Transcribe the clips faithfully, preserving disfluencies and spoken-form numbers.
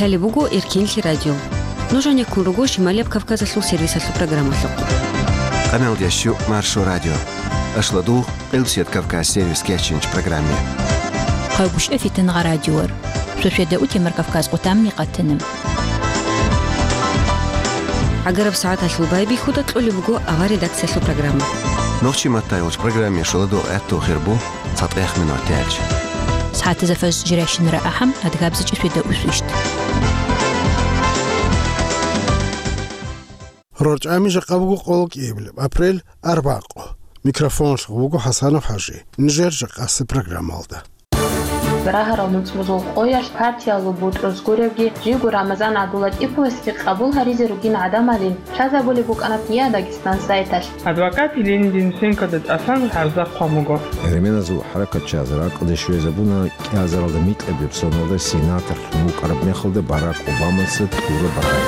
Гьале буго Эркинлъи радио. Нуж гьанеккун руго Шималияб Кавказалъул сервисалъул программалъухъ. Къамел дящу Маршо радио. Ашладугъ Къилбсият Кавказ сервис кечинч программе. Хъайгуща фитангъа радиор. Шошеда утемар Кавказ къутамни къатана. Агараб сагӀаталъул байбихьуда кьолеб буго авар редакциялъул программа. Нохчи маттайгъуч программе шоладугъ гӀатту хирбу. ЦатӀех минут тяч. СагӀатаза фаз жирайщинара ахӀам, адгабзичӀи сведа усвищт. РорчӀами жакъа буго къоло кӀиабилеб апрель, арбакъо. Микрофоналъ вуго ХӀасанов ХӀажи. Нижер жакъаси программалда. Рагьарал нуцӀбузул къоялъ партиялъул бутӀрус гуревги, жиго Рамазан ГӀабдуллатӀиповасги къабул гьаризе ругин гӀадамалин лъазабулеб букӀана ТИА Дагестан сайталъ. Адвокат Еленин Денисенкода тӀасан гӀарза хъван буго. Гьерменазул хӀаракатчияз ракӀалде щвезабуна кӀиазаралда микьаб соналда сенатор вукӀараб мехалда Барак Обамаса тӀура багьай.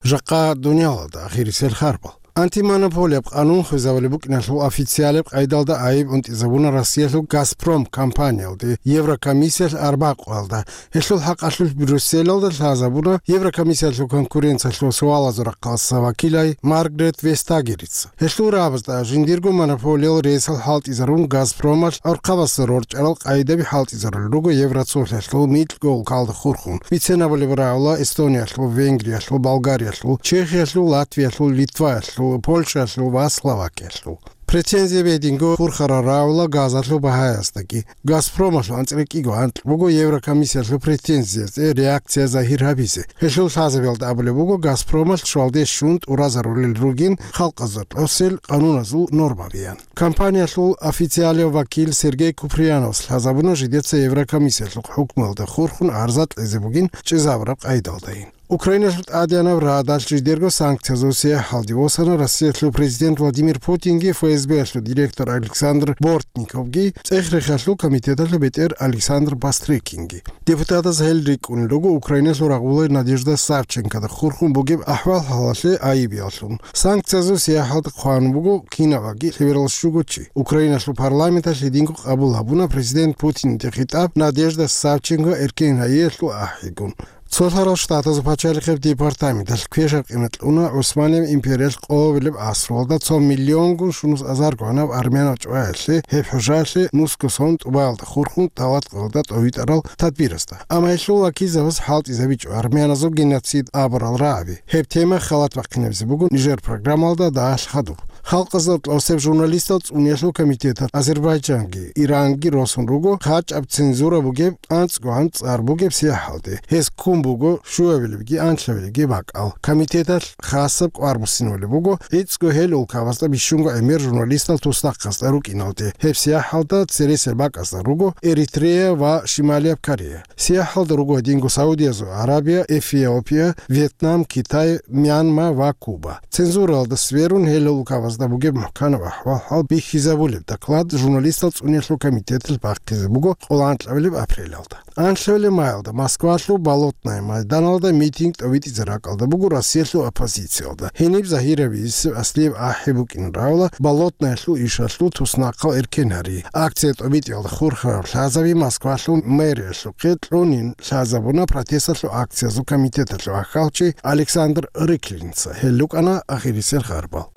Жакъа дуниялалда ахирисел харбал. Антимонополияб къанун хвезабулеб букӀиналъул официалеб къайдалда айиб унтӀизабуна Россиялъул «Газпром» компаниялде Еврокомиссиялъ арбакъуялда. Гьелъул хӀакъалъулъ Брюсселалда лъазабуна Еврокомиссиялъул конкуренциялъул суалазул рахъалъа вакилай Маргарет Вестагерица. Гьелъул рагӀабазда жиндирго монополиял ресал хӀалтӀизарун, «Газпромалъ» гӀурхъабазда рорчӀарал къайдаби хӀалтӀизарулел руго Евроцолъалъул микьго улкалда хурхун, бицен абулеб рагӀула Эстониялъул, Венгриялъул, Болгариялъул, Чехиялъул, Латвиялъул, Литваялъул, Польшаялъул ва Словакиялъул. Претензия бединго хурхарал рагӀула газалъул багьаяздаги. «Газпромалъул» анцӀила кӀиго анкь буго Еврокомиссиялъул претензиязе реакция загьир гьабизе. Гьелъул лъазабиялда абулеб буго, «Газпромалъ» щвалде щун тӀуразарулел ругин халкъазда тӀосел къануназул нормабиян. Компаниялъул официалияв вакил Сергей Куприяновас лъазабуна жидеца Еврокомиссиялъухъ хӀукмуялда хурхун гӀарза кьезе бугин чӀезабураб къайдалдайин. Украиналъул тӀадегӀанаб Радалъ жидерго санкциязул сияхӀалде восана Россиялъул президент Владимир Путинги ФСБ-ялъул директор Александр Бортниковги, ЦӀех-рехиялъул комитеталъул бетӀер Александр Бастрыкинги. Депутатаз гьел рикӀкӀунел руго Украиналъул рагъулай Надежда Савченкода хурхун бугеб ахӀвал-хӀалалъе айибияллъун. Санкциязул сияхӀалда хъван буго кинабаги лъеберал щуго чи. Украиналъул парламенталъ гьединго къабул гьабуна президент Путинде хитӀаб Надежда Савченко эркен гьайиялъул ахӀигун. Цолъарал Штатазул пачалихъеб департаменталъ квешаб къимат кьуна ГӀусманияб империялъ къоабилеб гӀасруялда цо миллионгун щунус азарго гӀанаб армянал чӀваялъе, гьеб хӀужаялъе нусго сон тӀубаялда хурхун тӀалат къоялда тӀовитӀарал тадбирасда. Амма гьелъул вакилзабаз хӀалтӀизабичӀо армяназул геноцид абурал рагӀаби. Гьеб тема халат бахъинабизе буго нижер программалда дагьалъ хадуб. Халкъазда тӀосеб журналистал цӀуниялъул комитеталъ Азербайджанги, Иранги росун руго, хъачӀаб цензура бугеб анцӀгогӀан цӀар бугеб сияхӀалде. Гьез ккун буго щуабилебги анлъабилебги бакӀал. Комитеталъ хасаб кӀвар буссинабулеб буго, гӀицӀго гьел улкабазда бищунго гӀемер журналистал туснахъасда рукӀиналде. Гьеб сияхӀалда цересел бакӀазда руго Эритрея ва Шималияб Корея. СияхӀалда руго гьединго Саудиязул Арабия, Эфиопия, Вьетнам, Китай, Мьянма ва Куба. Цензуралда сверун, гьел улкабазда бугеб мухӀканаб ахӀвал-хӀал бихьизабулеб доклад журналистал цӀуниялъул комитеталъ бахъизе буго къоло анкьабилеб апрелалда. Анлъабилеб майалда Москвалъул Болотное майданалда митинг тӀовитӀизе ракӀалда буго Россиялъул оппозициялда. Гьениб загьирабизе аслияб ахӀи букӀин равла Болотнаялъул ишалъул туснахъал эркен гьари. Акция тӀобитӀиялда хурхараб лъазаби Москвалъул мэриялъухъе кьунин лъазабуна протесталъул акциязул комитеталъул ахьалчи Александр Рыклинца. Гьел рукӀана ахирисел харбал.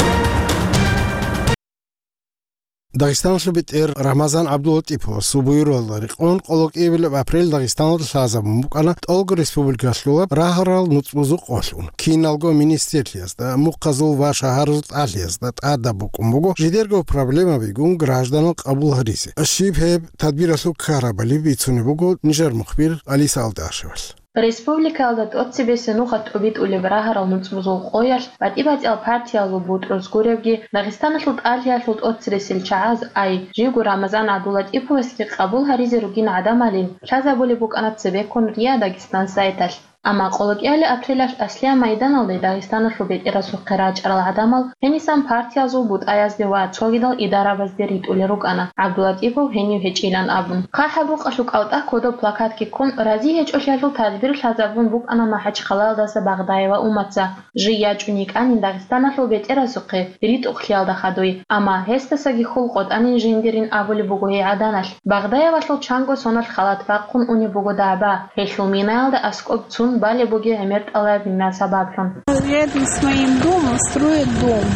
Дагъистаналъул бетӀер Рамазан ГӀабдуллатӀиповасул буюралда рекъон къоло кӀиабилеб апрель Дагъистаналда лъазабун букӀана тӀолго республикалъулаб рагьарал нуцӀбузул къолъун. Киналго министрлъиязда, мухъазул ва шагьаразул тӀалъиязда тӀадаб букӀун буго жидерго проблемабигун гражданал къабул гьаризе. Щиб гьеб тадбиралъул ккарабали бицунеб буго нижер мухбир Алиса Алдашевалъ. Республикаялда тӀоцебесеб нухалъ тӀобитӀулеб рагьарал нуцӀбузул къоялъ батӀи-батӀиял партиялъул бутӀрус гуревги, Дагъистаналъул тӀалъиялъул тӀоцересел чагӀаз ай, жиго Рамазан ГӀабдуллатӀиповасги къабул гьаризе ругин гӀадамалин лъазабулеб букӀана цебеккун РИА Дагестан сайталъ. Амма къолокӀиялил апрелалъ Аслия майданалде Дагъистаналъул бетӀерасухъе рачӀарал гӀадамал гьенисан партиязул бутӀаязде ва цогидал идарабазде ритӀулел рукӀана, ГӀабдулатӀипов гьенив гьечӀилан абун. ХъахӀаб рукъалъул кӀалтӀа кодоб плакатги ккун, рази гьечӀолъиялъул тадбир лъазабун букӀана МахӀачхъалаялдаса Багъдаева Уматца. Жий ячӀун йикӀанин Дагъистаналъул бетӀерасухъе ритӀухълъиялда хадуй, амма гьесдасаги хьул къотӀанин жиндирин абулеб буго гьей гӀаданалъ. Багъдаевалъул чанго соналъ халат бахъун унеб буго дагӀба, гьелъул минаялда аскӀоб цун балеб бугеб гӀемер тӀалаб мина сабаблъун. Рядом с моим домом строят дом.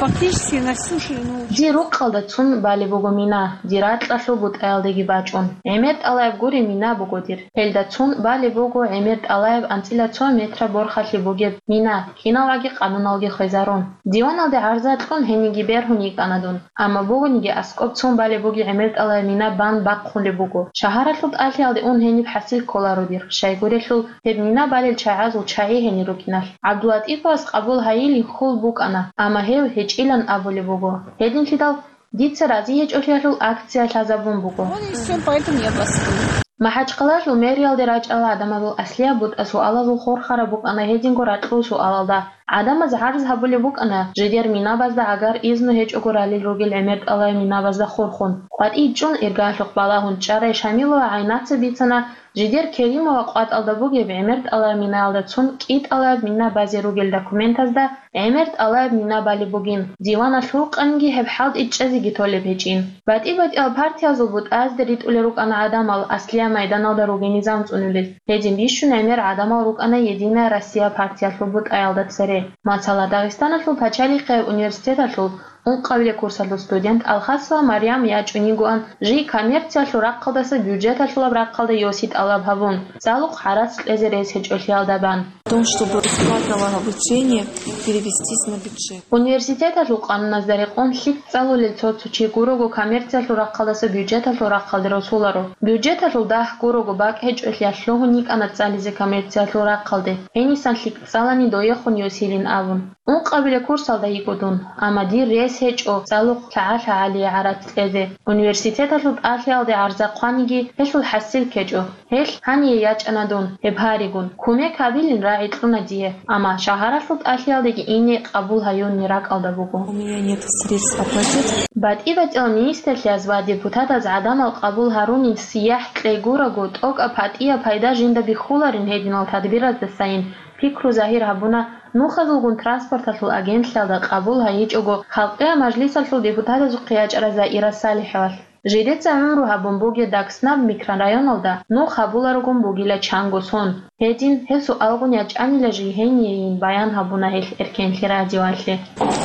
Фактически на всю ширину. Дир рукъалда цун балеб буго мина, дир ракьалъул бутӀаялдеги бачӀун. ГӀемер тӀалаб гури мина буго дир. Гьелда цун балеб буго гӀемер тӀалаб анцӀила цо метра борхалъи бугеб мина, киналгӀаги къануналги хвезарун. Диваналде гӀарза кьун гьениги бергьун йикӀана дун, амма бугониги аскӀоб цун балеб бугеб гӀемер тӀалаб мина бан бахъулеб буго. Шагьаралъул тӀалъиялде ун гьениб хӀасил кколаро дир, щайгурелъул гьеб мина балел чагӀазул чагӀи гьенир рукӀиналъ. ГӀабдулатӀиповас къабул гьайилин хьул букӀана, амма гьев гьечӀилан абулеб буго. Гьединлъидал дица рази гьечӀолъиялъул акция лъазабун буго. Вот и всё, поэтому я бастую. МахӀачхъалаялъул мэриялде рачӀарал гӀадамазул аслияб бутӀа суалазул хурхараб букӀана гьединго ракьул суалалда. ГӀадамаз гӀарз гьабулеб букӀана, жидер минабазда гӀагар изну гьечӀого ралел ругел гӀемер тӀалаб минабазда хурхун. КъватӀий чӀун, иргаялъухъ балагьун чӀарай Шамилова ГӀайнаца бицана, жидер Керимова къватӀалда бугеб гӀемер тӀалаб минаялда цун кӀи тӀалаб мина базе ругел документазда гӀемер тӀалаб мина балеб бугин, диваналъул къанги гьеб хӀалтӀи чӀезеги толеб гьечӀин. БатӀи-батӀиял партиязул бутӀазде ритӀулел рукӀана гӀадамал аслия майданалда ругел низам цӀунулел. Гьедин бищун гӀемер гӀадамал рукӀана «Единая Россия» партиялъул бутӀаялда цере. Масала, Дагъистаналъул пачалихъияб университеталъул ункъабилеб курсалъул студент Алхасова Марьям ячӀунигоан жий коммерциялъул рахъалдаса бюджеталъулаб рахъалда йоси тӀалаб гьабун, цӀалухъ гӀарац кьезе рес гьечӀолъиялда бан. О том, чтобы расплата обучения перевестись на бюджет. Университеталъул къануназда рекъон лъикӀ цӀалулел цо-цо чи гурого коммерциялъул рахъалдаса бюджеталъул рахъалде росуларо. Бюджеталъул дагь гурого бакӀ гьечӀолъиялъ лъугьун йикӀана цӀализе коммерциялъул рахъалде, гьенисан лъикӀ цӀалани доехун йосилин абун. Ункъабилеб курсалда йиго дун, амма дир рес гьечӀо цӀалухъ лъагӀа-лъагӀалие гӀарац кьезе. Университеталъул тӀалъиялде гӀарза хъваниги, гьелъул хӀасил ккечӀо. Гьелъ гьание ячӀана дун, гьеб гьаригун. Кумек гьабилин рагӀи кьуна дие, амма шагьаралъул тӀалъиялдеги ине къабул гьаюнни ракӀалда буго. У меня нет средств оплатить. БатӀи-батӀиял министрлъиз ва депутатаз гӀадамал къабул гьарунин сияхӀ кьей гураго, тӀокӀаб гьатӀияб пайда жинда бихьуларин гьединал тадбираздасайин пикру загьир гьабуна, нухазулгун транспорталъул агентлъиялда къабул гьайичӀого Халкъиял мажлисалъул депутатазухъе ячӀарай Заира СалихӀовалъ. Жидеца гӀумру гьабун бугеб Дагъиснаб микрорайоналда нух гьабуларогун бугила чанго сон. Гьедин, гьеб суалгун ячӀанила жигьенийин баян гьабуна гьелъ Эркенлъи радиоялъе.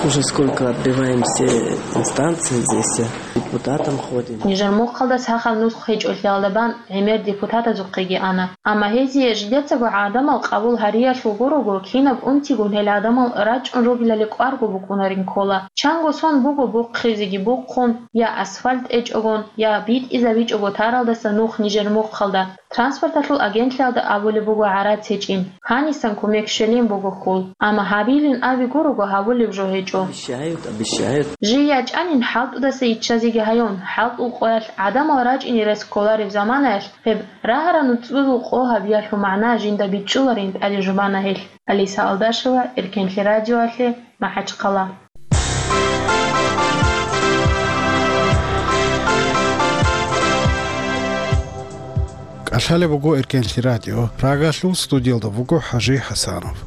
Уже сколько отбиваем все инстанции здесь, депутатам ходим. Нижер мухъалда сахаб нусх гьечӀолъиялда бан гӀемер депутатазухъеги ана. Амма гьезие жидецаго гӀадамал къабул гьариялъул гурого, кинаб унтигун гьел гӀадамал рачӀун ругелали кӀварго букӀунарин ккола. Чанго сон буго бухъизеги бухъун, я асфальт тӀечӀогон, я битӀизабичӀого таралдаса нух нижер мухъалда. Транспорталъул агентлъиялда абулеб буго гӀарац гьечӀин, гьанисан кумек щвелин буго хьул. Амма гьабилин аби гурого гьабулеб жо гьечӀо. Обещают, обещают. Жий ячӀанин хӀалтӀудаса иччазеги гьаюн, хӀалтӀул къоялъ гӀадамал рачӀине рес кколареб заманаялъ гьеб рагьарал нуцӀбузул къо гьабиялъул магӀна жинда бичӀчӀуларин тӀаде жубана гьелъ. Алиса Алдашева, Эркенлъи радиоялъе, МахӀачхъала. КӀалъалеб буго Эркенлъи радио, Прагалъул студиялда вуго ХӀажи ХӀасанов.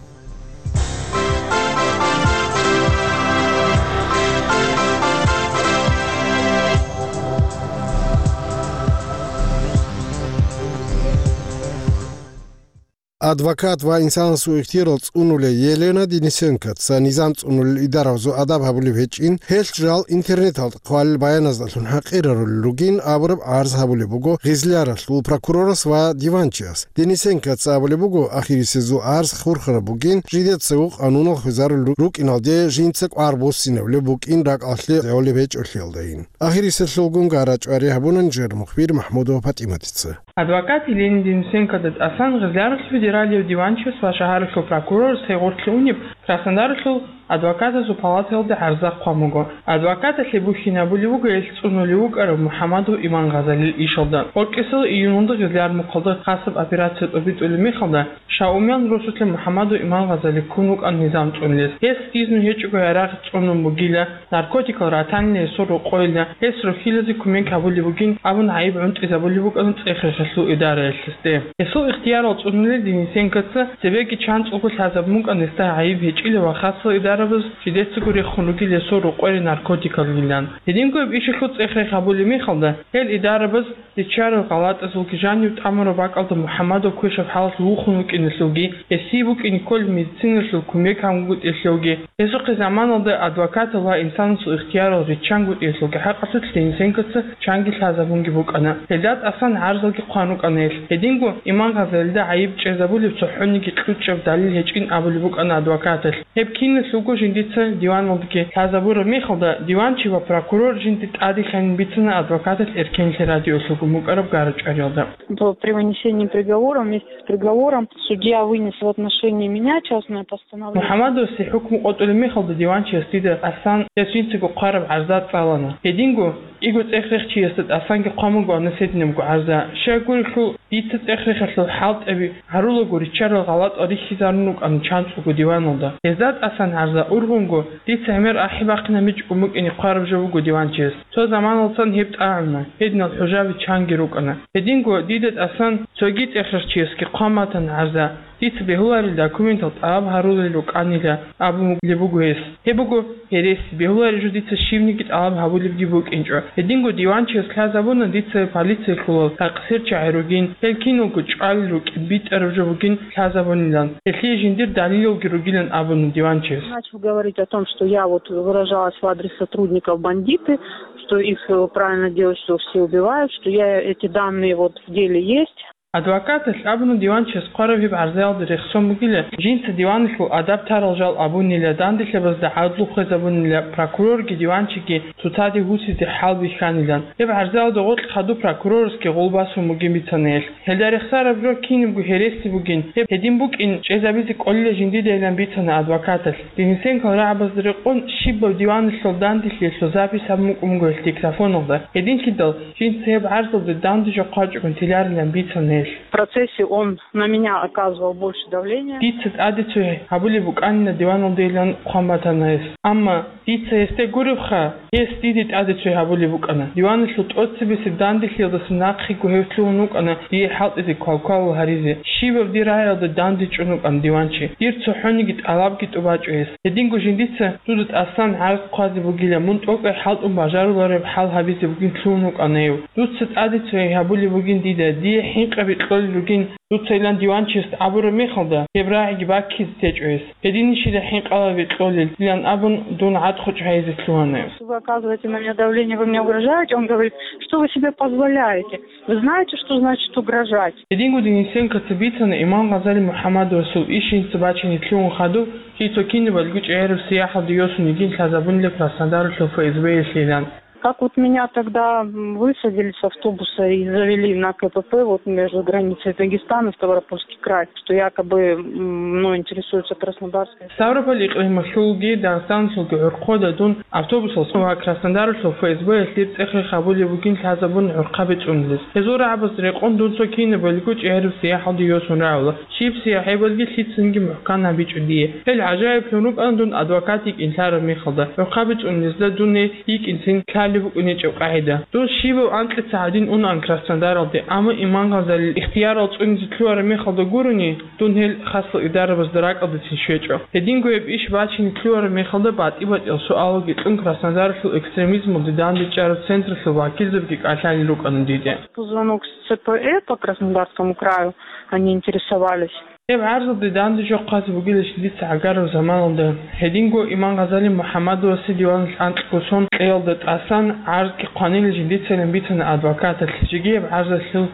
Адвокат ва инсанасул ихтияр цӀунулей Елена Денисенкоца низам цӀунулел идараялъул адаб гьабулеб гьечӀин, гьелъ жал интернеталда хъвалел баяназдалъун хӀакъирарулел ругин абураб гӀарз гьабулеб буго Гъизляралъул прокурорас ва диванчияс. Денисенкоца абулеб буго, ахирисезул гӀарз хурхараб бугин, жидецаго къануналъ хвезарулел рукӀиналде жинца кӀвар буссинабулеб букӀин ракӀалъе гӀолеб гьечӀолъиялдайин. Ахирисезулгун гара чӀвари гьабуна нижер мухбир МахӀмудова ПатӀиматица. Адвокат Елена Денисенкода тӀасан Гъизляралъул федералияв диванчияс ва шагьаралъул прокурорас гьей гъорлъе унеб Краснодаралъул адвокатазул палатаялда гӀарза хъван буго. Адвокаталъе бухьинабулеб буго гьелъ цӀунулев вукӀарав МухӀаммадов Иман Гъазалил ишалда. Воркьисел июньалда гъезлъи Армухъалда хасаб операция тӀобитӀулеб мехалда, Шаумян росулъа МухӀаммадов Иман Гъазали ккун вукӀана низам цӀунулес. Гьес дизну гьечӀого гьарахъ цӀунун бугила, наркотикал ратанила гьесул рокъойила, гьес рохьилазе кумек гьабулеб бугин абун гӀайиб гӀунтӀизабулеб букӀана цӀех-рехалъул идараялъ гьесде. Гьесул ихтиярал цӀунулел Денисенкоца цебеги чанцӀулго лъазабун букӀана гьесда гӀайиб гьечӀила ва хасал идарабаз жидецаго рехун ругел гьесул рокъоре наркотикалгилан. Гьединго гьеб ишалъул цӀех-рех гьабулеб мехалда, гьел идарабаз риччарал гъалатӀазулги жанив тӀамураб бакӀалда МухӀаммадов квешаб хӀалалъ вухун вукӀиналъулги, гьесие букӀине кколеб медициналъул кумек гьабунгутӀиялъулги, гьесухъе заманалда адвокатал ва инсанасул ихтиярал риччангутӀиялъулги хӀакъалъулъ Денисенкоца чанги лъазабунги букӀана. Гьелда тӀасан гӀарзалги хъван рукӀана гьелъ. Гьединго Иман Гъазалида гӀайиб чӀезабулеб цохӀониги кьучӀаб далил гьечӀин абулеб букӀана адвокаталъ. Гьеб киналъулго жиндица диваналдаги лъазабураб мехалда, диванчи ва прокурор жинда тӀаде лъанин бицана адвокаталъ Эркенлъи радиолъулгун букӀараб гара-чӀвариялда. По, при вынесении приговора, вместе с приговором судья вынес в отношении меня частное постановление. МухӀаммадовасе хӀукму къотӀулеб мехалда диванчияс дида тӀасан гьес жинцаго хъвараб гӀарза цӀалана. Гьединго кӀиго цӀех-рехчиясда тӀасанги хъван бугоан гьединабго гӀарза. Щай гурелъул, дица цӀех-рехалъул хӀалтӀаби гьарулаго риччарал гъалатӀал рихьизарун рукӀана чанцӀулго диваналда. Гьезда тӀасан гӀарза ургъунго, дица гӀемер ахӀи бахъинабичӀого букӀине хъвараб жо буго диванчияс. Цо заманалдасан гьеб тӀагӀуна, гьединал хӀужаби чанги рукӀана. Гьединго дида тӀасан цоги цӀех-рехчиясги хъван батана гӀарза. Дица бегьуларел документал тӀалаб гьарулел рукӀанила абун бугеб буго гьес. Гьеб буго гьереси, бегьулареб жо дица щибниги тӀалаб гьабулебги букӀинчӀо. Гьединго диванчияс лъазабуна дица полициялъулал такъсирчагӀи ругин, гьел киналго чӀвалел рукӀин битӀараб жо бугин лъазабунилан, гьелъие жиндир далилалги ругилан абуна диванчияс. Начал говорить о том, что я вот выражалась в адрес сотрудников бандиты, что их, э, правильно делать, что все убивают, что я эти данные вот в деле есть. Адвокаталъ абуна диванчияс хъвараб гьеб гӀарзаялда рехсон бугила, жинца диваналъул адаб тарал жал абунила, данделъабазда гӀадлу хвезабунила, прокурорги диванчиги цоцаде гьусизе хӀал бихьанилан. Гьеб гӀарзаялда гъоркь хадуб прокурорасги гъол басун бугин бицана гьелъ. Гьелда рехсараб жо кинабго гьереси бугин, гьеб гьедин букӀин чӀезабизе кколила жиндидайилан бицана адвокаталъ. Денисенкол рагӀабазда рекъон щибаб диваналъул данделъиялъул запись гьабун букӀун буго гьелъ диктофоналда. Гьединлъидал жинца гьеб гӀарзалда данде жо хъвачӀогун теларилан бицана гьелъ. В процессе он на меня оказывал больше давления. Дица тӀаде цо гьабулеб букӀанина диваналдайилан хъван батана гьес. Амма дица гьесде гуребха, гьес диде тӀаде цо гьабулеб букӀана. Диваналъул тӀоцебесеб данделъиялдаса нахъего гьев лъугьун вукӀана дие хӀалтӀизе квалквалал гьаризе. Щибаб дир рагӀиялда данде чӀун вукӀана диванчи. Дир цохӀониги тӀалабги тӀубачӀо гьес. Гьединго жиндица дуда тӀасан гӀарз хъвазе бугила, мун тӀокӀай хӀалтӀун бажарулареб хӀал гьабизе бугин лъугьун вукӀана гьев. Дуца тӀаде цо гьабулеб бугин дида, дие хӀинкъаби кьолел ругин, дуцайилан диванчиясда абураб мехалда, гьеб рагӀиги баккизе течӀо гьес. Гьединищила хӀинкъалаби кьолел, илан абун, дун гӀадхъучӀ гьайизе лъугьана гьев. Вы оказываете на меня давление, вы мне угрожаете? Он говорит: «Что вы себе позволяете? Вы знаете, что значит угрожать?» Гьединго Денисенкоца бицана Иман Гъазали МухӀаммадовасул иш жинца бачине лъугьун хадуб, жинца кинабалго чӀегӀераб сияхӀалде йосун йигин лъазабунила Краснодаралъул ФСБ-ялъилан. Как вот меня тогда, м, высадили с автобуса и завели на КПП вот между границей Дагестана и Ставропольский край, что якобы, м, мной интересуется Краснодарская. Ставрополь икълималъулги Дагъистаналъулги гӀурхъода дун автобусалъ ва Краснодаралъул ФСБ-ялъ дир цӀех-рех гьабулеб бугин лъазабун гӀурхъаби цӀунулес. Гьезул рагӀабаз рекъон дун цо кинабалго чӀегӀераб сияхӀалде йосун рагӀула. Щиб сияхӀ гьебалги лъицанги мухӀкан гьабичӀо дие. Гьел гӀажаиблъун рукӀана дун адвокат йикӀин лъараб мехалда, гӀурхъаби цӀунулезда дун гьей йикӀинцин лъалеб букӀунечӀеб къагӀида. Дун щибаб анкьица гьадин унаан Краснодаралде, амма Иман Гъазалил ихтиярал цӀунизе лъугьараб мехалда гурони, дун гьел хасал идарабазда ракӀалдецин щвечӀо. Гьединго гьеб иш бачине лъугьараб мехалда батӀи-батӀиял суалалги кьун Краснодаралъул экстремизмалде дандечӀараб централъул вакилзабги кӀалъалел рукӀана диде. По звонок с ЦПЭ по Краснодарскому краю они интересовались. Гьеб гӀарзалде данде жо хъвазе бугила жиндица гӀагараб заманалда. Гьединго Иман Гъазали МухӀаммадовасе диваналъ анкьго сон кьеялда тӀасан гӀарзги хъванила жиндицайилан бицана адвокаталъ, жеги гьеб гӀарзалъул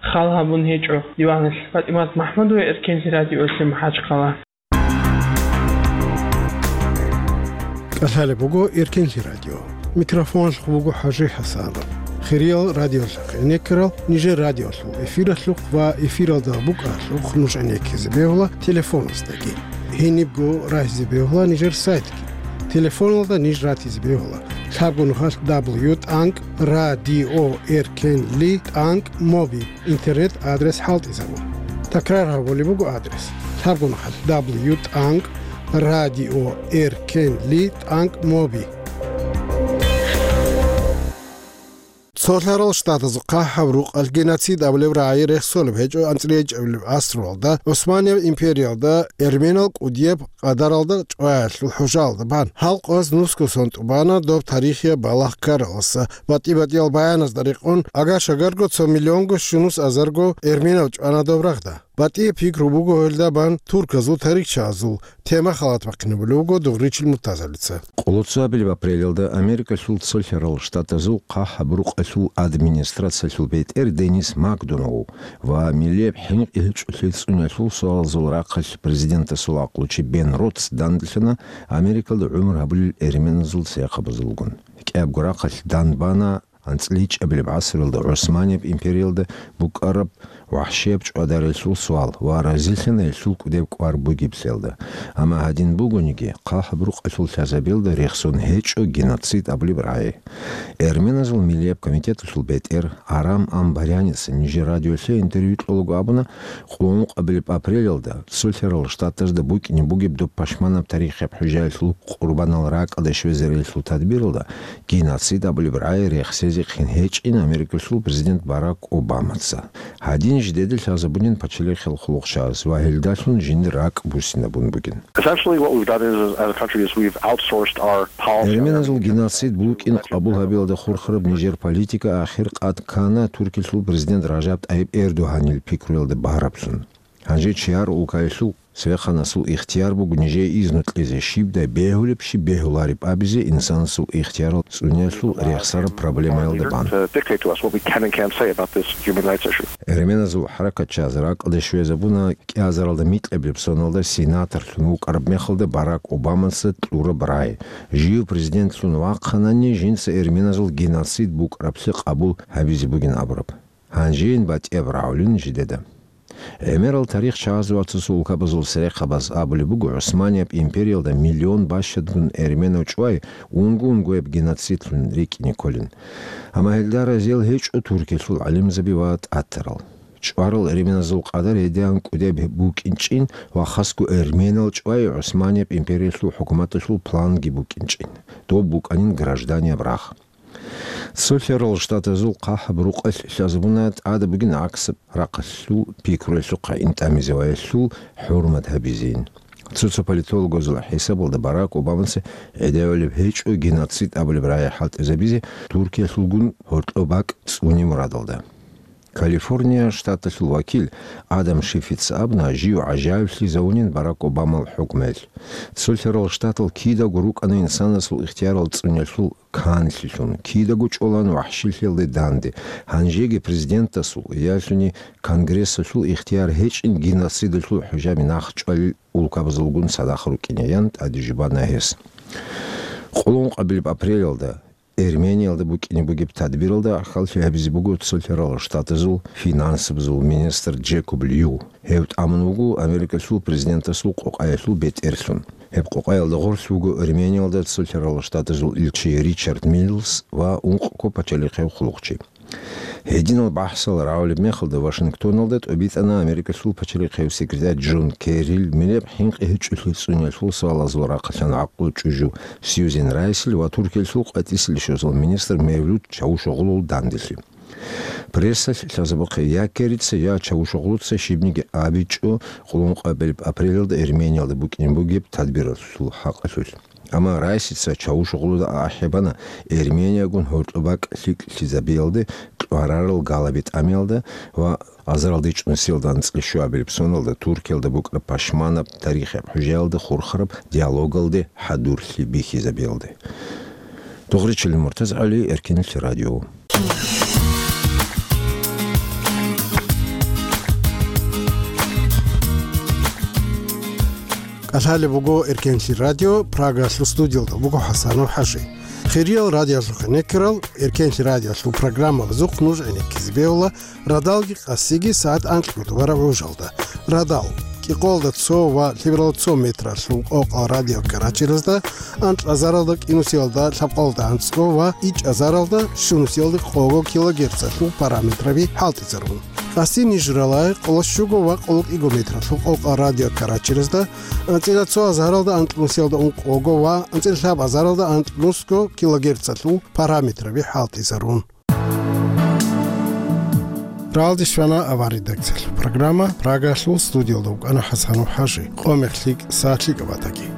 хал гьабун гьечӀо диваналъ. ПатӀимат МахӀмудова, Эркенлъи радиоялъе, МахӀачхъала. КӀалъалеб буго Эркенлъи радио. Микрофоналъухъ буго ХӀажи ХӀасанов. Хириял радиолъахъ гӀенеккарал нижер радиолъул эфиралъухъ ва эфиралда букӀаралъухъ нуж гӀенеккизе бегьула телефоназдаги. Гьенибго рагьизе бегьула нижер сайтги. Телефоналда ниж ратизе бегьула. Лъабго нухалъ дабл ю тӀанкӀ радио эркенли тӀанкӀ моби интернет адрес хӀалтӀизабун. Такрар гьабулеб буго адрес: лъабго нухалъ дабл ю тӀанкӀ радио эркенли тӀанкӀ моби. Цолъарал Штатазул хъахӀаб рукъалъ геноцид абулеб рагӀи рехсолеб гьечӀо анцӀила гьечӀебилеб гӀасруялда ГӀусманияб империялда эрменал кӀудияб къадаралда чӀваялъул хӀужаялда бан. Гьал къоялъ нусго сон тӀубана доб тарихияб балагь ккаралдаса. БатӀи-батӀиял баяназда рекъон, агар-шагарго цо миллионго щунус азарго эрменал чӀвана доб рагъда. БатӀияб пикру буго гьелда бан турказул тарихчиязул. Тема халат бахъинабулев вуго Дугъричил Муртазалица. Къолоцо абилеб апрелалда Америкалъул Цолъарал Штатазул хъахӀаб рукъалъул администрациялъул бетӀер Денис Макдоналл ва миллияб хӀинкъи гьечӀолъи цӀуниялъул суалазул рахъалъ президентасул гӀакълучи Бен Ротс данделъана Америкалда гӀумру гьабулел эрменазул церехъабазулгун. КӀиябго рахъалъ данбана анцӀила гьечӀебилеб гӀасруялда ГӀусманияб империялда букӀараб вахӀшияб чӀвадарелъул суал ва разилъана гьелъул кӀудеб кӀвар бугеблъиялда. Амма гьадин бугониги, хъахӀаб рукъалъул лъазабиялда рехсон гьечӀо геноцид абулеб рагӀи. Эрменазул миллияб комитеталъул бетӀер Арам Амбаряница нижер радиолъе интервью кьолаго абуна, къуллукъабилеб апрелалда Цолъарал Штатазда букӀине бугеб доб пашманаб тарихияб хӀужаялъул къурбанал ракӀалде щвезарелъул тадбиралда геноцид абулеб рагӀи рехсезехъин гьечӀин Америкалъул президент Барак Обамаца. Гьадин жидеда лъазабунин пачалихъал хъулухъчияз ва гьелдалъун жиндир ракӀ буссинабун бугин. Essentially, what we've done is, as a country, is we've outsourced our policy. Эрменазул геноцид букӀин къабул гьабиялда хурхараб нижер политика ахир къад ккана Туркиялъул президент Ражаб ТӀайиб Эрдогьанил пикруялда багьараблъун. Гьанже чияр улкаялъул цевехъанасул ихтияр буго нижее изну кьезе, щибдай бегьулеб, щиб бегьулареб абизе инсанасул ихтиярал цӀуниялъул рехсараб проблемаялда бан. To dictate to us what we can and can't say about this human rights issue. Эрменазул хӀаракатчияз ракӀалде щвезабуна кӀиазаралда микьабилеб соналда сенаторлъун вукӀараб мехалда Барак Обамаца кьураб рагӀи. Жив президентлъун вахъанани, жинца эрменазул геноцид букӀараблъи къабул гьабизе бугин абураб. Гьанжейин батӀияб рагӀулин жидеда. ГӀемерал тарихчияз ва цо-цо улкабазул церехъабаз абулеб буго, ГӀусманияб империялда миллион бащадгун эрменав чӀвай унго-унгояб геноцидлъун рикӀкӀине кколин. Амма гьелда разиял гьечӀо Туркиялъул гӀалимзаби ва тӀатарал. ЧӀварал эрменазул къадар гьедигӀан кӀудияб букӀинчӀин ва хасго эрменал чӀвай ГӀусманияб империялъул хӀукуматалъул планги букӀинчӀин. Доб букӀанин гражданияб рагъ. Цолъарал Штатазул хъахӀаб рукъалъ лъазабуна тӀада бугин гӀаксаб рахъалъул пикруялъухъ гӀин тӀамизе ва гьелъул хӀурмат гьабизейин. Цо-цо политологазул хӀисабалда Барак Обамаца гӀедегӀулеб гьечӀо геноцид абулеб рагӀи хӀалтӀизабизе Туркиялъулгун гьоркьоб бакӀ цӀуне мурадалда. Калифорния штаталъул вакил Адам Шифица абуна жив гӀажаиблъизавунин Барак Обамал хӀукмуялъ. Цолъарал Штатал кидаго рукӀана инсанасул ихтиярал цӀуниялъул канлъилъун, кидаго чӀолан вахӀшилъиялде данде, гьанжеги президентасул, ялъуни Конгрессалъул ихтияр гьечӀин геноцидалъул хӀужаби нахъчӀвалел улкабазулгун цадахъ рукӀине, ян тӀаде жубана гьес. Къуллукъабилеб апрелалда Эрмениялда букӀине бугеб тадбиралда ахӀаллъи гьабизе буго Цолъарал Штатазул финансабазул министр Джекоб Лью. Гьев тӀамун вуго Америкалъул президентасул къокъаялъул бетӀерлъун. Гьеб къокъаялда гъорлъ вуго Эрмениялда Цолъарал Штатазул илчи Ричард Миллс ва ункъго пачалихъев хъулухъчи. Гьединал бахӀсал рагӀулеб мехалда Вашингтоналда тӀобитӀана Америкалъул пачалихъев секретарь Джон Керрил миллияб хӀинкъи гьечӀолъи цӀуниялъул суалазул рахъалъан гӀакълу чӀужу Сьюзен Райсил ва Туркиялъул къватӀисел щвезал министр Мевлут Чавушоглул данделъи. Прессалъ лъазабухъе я Керрица, я Чавушоглуца щибниги абичӀо къуллукъабилеб апрелалда Эрмениялда букӀине бугеб тадбиралъул хӀакъалъулъ. Амма Райсица Чавушоглуда ахӀи бана Эрмениягун гьоркьоб бакӀ лъикӀлъизабиялде кьварарал галаби тӀамиялда ва азаралда ичӀнусиялда анцӀила щуабилеб соналда Туркиялда букӀараб пашманаб тарихияб хӀужаялда хурхараб диалогалде хӀадурлъи бихьизабиялде. Дугъричилин МуртазагӀали, Эркенлъи радио. КӀалъалеб буго Эркенлъи радио, Прагалъул студиялда буго ХӀасанов ХӀажи. Хириял радиоялъухъ гӀенеккарал Эркенлъи радиоялъул программабазухъ нуж гӀенеккизе бегьула радалги къасиги сагӀат анкьго тӀубараб гӀужалда. Радал. Икъолда цо ва лъебералда цо метралъул къокъал радиокаратеразда анкьазаралда кӀинусиялда лъабкъолда анцӀго ва ичӀазаралда щунусиялда къого килогерцалъул параметраби хӀалтӀизарун. Къасси нижералай къоло щуго ва къоло кӀиго метралъул къокъал радиокаратеразда анцӀила цо азаралда анкьнусиялда ункъого ва анцӀила лъабазаралда анкьнусго килогерцалъул параметраби хӀалтӀизарун. Ралдищвана авар редакциялъул программа, Прагалъул студиялда вукӀана ХӀасанов ХӀажи. Къо мехлъи, сахлъи кӀабатаги.